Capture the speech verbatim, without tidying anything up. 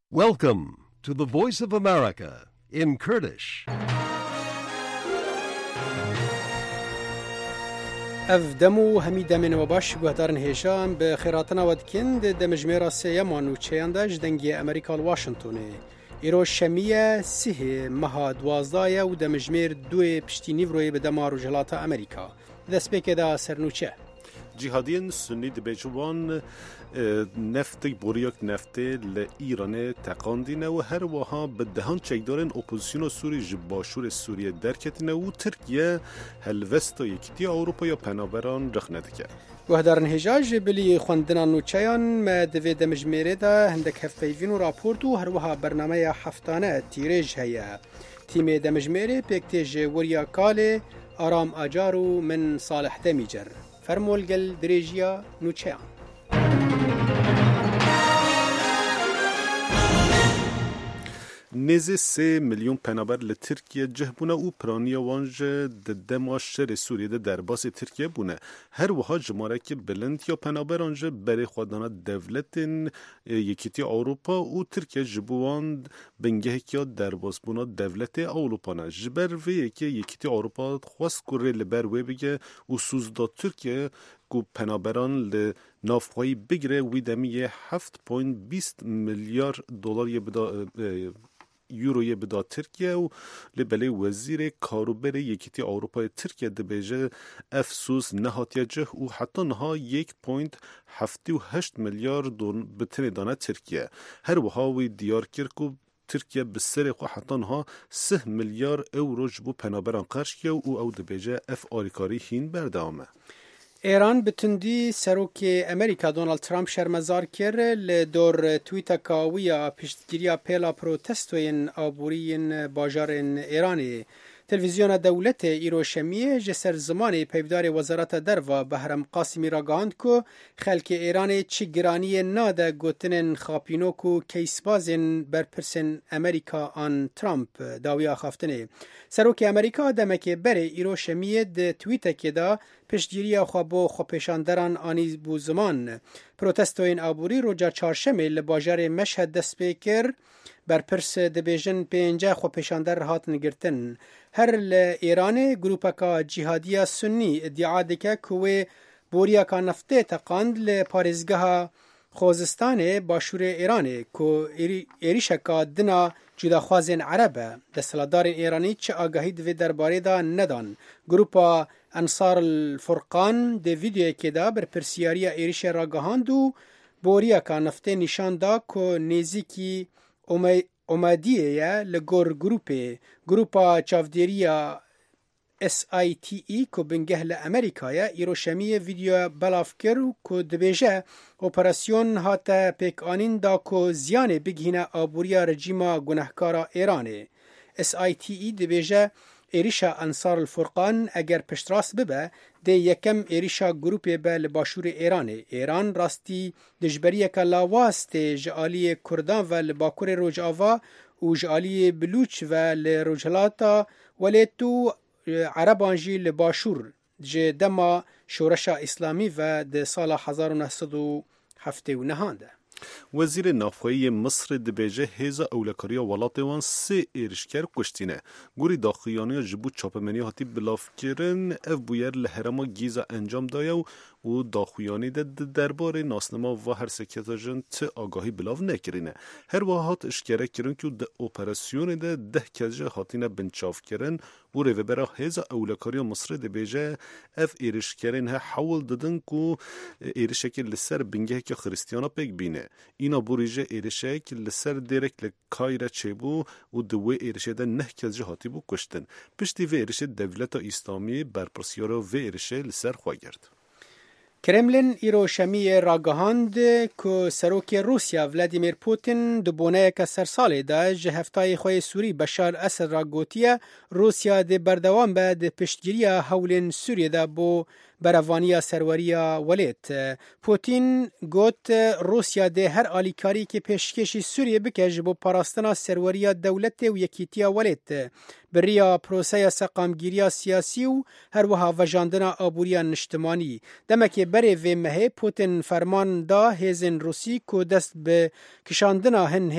Welcome to the Voice of America in Kurdish. Ev dem û hemî demên we baş, guhdarên hêja, em bi xêratina we dikin. Di demijmêra sêyema nûçeyan de ji Dengê Amerîka li Washingtonê. Îro şemî ye, sihê meha duwazdeh ye û demijmêr duyê piştî nîvroyê bi dema Rojhilata Amerîka. Destpêkê de sernûçe. Cîhadiyên Sunnî dibêjin wan, e, neftek, boriyek neftê li Îranê teqandîne û her wiha bi dehan çekdarên opozisyona Sûrî ji başûrê Sûriyê derketine û Tirkiye helwesta Yekîtiya Ewropa ya penaberan rexne dike. Guhdarên hêja, ji bilî xwendina nûçeyan me di vê demijmêrê de hindek hevpeyvîn û raport û her wiha bernameya heftane tîrêj heye. Tîmê demijmêrê pêk tê ji Weriya Kalê, Aram Acar û min Salih Demîcer. Fermo li gel dirêjiya nûçeyan. Nêzî sê milyon penaber li Tirkiye cih bûne û piraniya wan jî di dema şerê Sûriyê de derbasî Tirkiye bûne. Her wiha jimareke bilind ya penaberan jî berê xwe dane dewletên, e, Yekîtiya Ewropa û Tirkiye ji bo wan bingeheke derbasbûna dewletê Ewropa ne. Ji ber vê yekê Yekîtiya Ewropa xwest ku rê li ber wê bige û sûz da Tirkiye ku penaberan li nav xweyî bigire, wî demiyê heft point bîst milyar dolar yê bida, e, euro yê bida Tirkiye û lê belê wezîrê karûberê Yekîtiya Ewropayê Tirkiye dibêje, ev sûz nehatiye cih û heta niha yek point heftê û heşt milyar don bi tinê dane Tirkiye. Her wiha wî diyar kir ku Tirkiye bi serê xwe heta niha sih milyar euro ji bo penaberan qerç kiye û ew dibêje, ev alîkarî hîn berdewam e. Îran bi tundî Serokê Amerîka Donald Trump şermezar kir, li dor tweeteka wî ya piştgiriya pêla protestoyên aborî yên bajarên Îranê. Televîzyona dewletê îro şemiyê ji ser zimanê peyvdarê Wezareta Derva Behrem Qasimî ragihand ku xelkê Îranê çi giraniyê nade gotinên xapînok û keysbazên berpirsên Amerîka an Trump dawiya axaftinê. Serokê Amerîka demekê berê îro şemiyê di tweetekê de piştgiriya xwe bo xwepêşanderan anî bû ziman. Protestoyên aborî roja çarşemê li bajarê Meşhed dest pê kir. Berpirs dibêjin pênce xwepêşander hatin girtin. Her li Îranê grûpeka cîhadiya Sunnî îdia dike ku wê boriyeka neftê teqand li parêzgeha Xozistanê başûrê Îranê ku êrî-, êrîşeka dina cudaxwazên Ereb e. Desthilatdarên Îranî çi agahî di vê derbarê de nedan. Grûpa Ensar el Furqan di vîdeoyekê de berpirsiyariya êrîşê ragihand û boriyeka neftê nîşan da ku nêzîkî Ome-, Omadiyê ye li gor grûpê. Grûpa çavdêriya S I T E ku bingeh li Amerîka ye, îro şemiyê vîdeoya belav kir û ku dibêje, operasyon hate pêkanîn da ku ziyanê bigihîne aboriya rejîma gunehkara Îranê. S I T E dibêje, êrîşa Ensar el Furqan eger piştrast bibe, dê yekem êrîşa grûpê be li başûrê Îranê. Îran rastî dijberiyeke lawaz tê ji aliyê Kurdan ve li Bakurê Rojava û ji aliyê Bilûç ve li Rojhilata Welêt û, e, Ereban jî li Başûr ji dema Şoreşa Îslamî ve di sala hezar û neh sed û heftê û nehan de. Wezîrê Navxweyî yê Misrê dibêje hêza ewlekariya welatê wan sê êrişker kuştîne. Gorî daxuyaniya ji bo çapemeniya hatî bilavkirin, ev bûyer li herêma Gîza encam daye û û daxuyanî de di derbarê nasnema va her sê kesa jin ti agahî bilav nekirîne. Her wiha hat eşkere kirin ku di operasyonê de deh kes jî hatine binçavkirin û rêvebera Hêza Ewlekariya Misrê dibêje, ev êrişkerên he hewl didin ku êrişekê li ser bingeheke Xiristiyana pêk bîne. Îna borî jî êrişek li ser dêrek li Kayre çêbû û di wê êrişê de neh kes jî hatîbû kuştin. Piştî vê êrişê dewleta Îslamî berpirsyara vê êrişê li ser xwe girt. Kremlin îro şemiyê ragihand ku Serokê Rûsya Vladimir Putin di boneyeke sersalê de ji hevtayê xwe yê Sûrî Beşar Esed re gotiye, Rûsya dê berdewam be di piştgiriya hewlên Sûriyê de bo berevaniya serweriya welêt. Putin got, Rûsya dê her alîkariyekê pêşkêşî Sûriyê bike ji bo parastina serweriya dewletê û yekîtiya welêt. Bi riya proseya seqamgîriya siyasî û her wiha vejandina aboriya niştimanî. Demekê berê vê mehê Putin ferman da hêzên Rûsî ku dest bi kişandina hin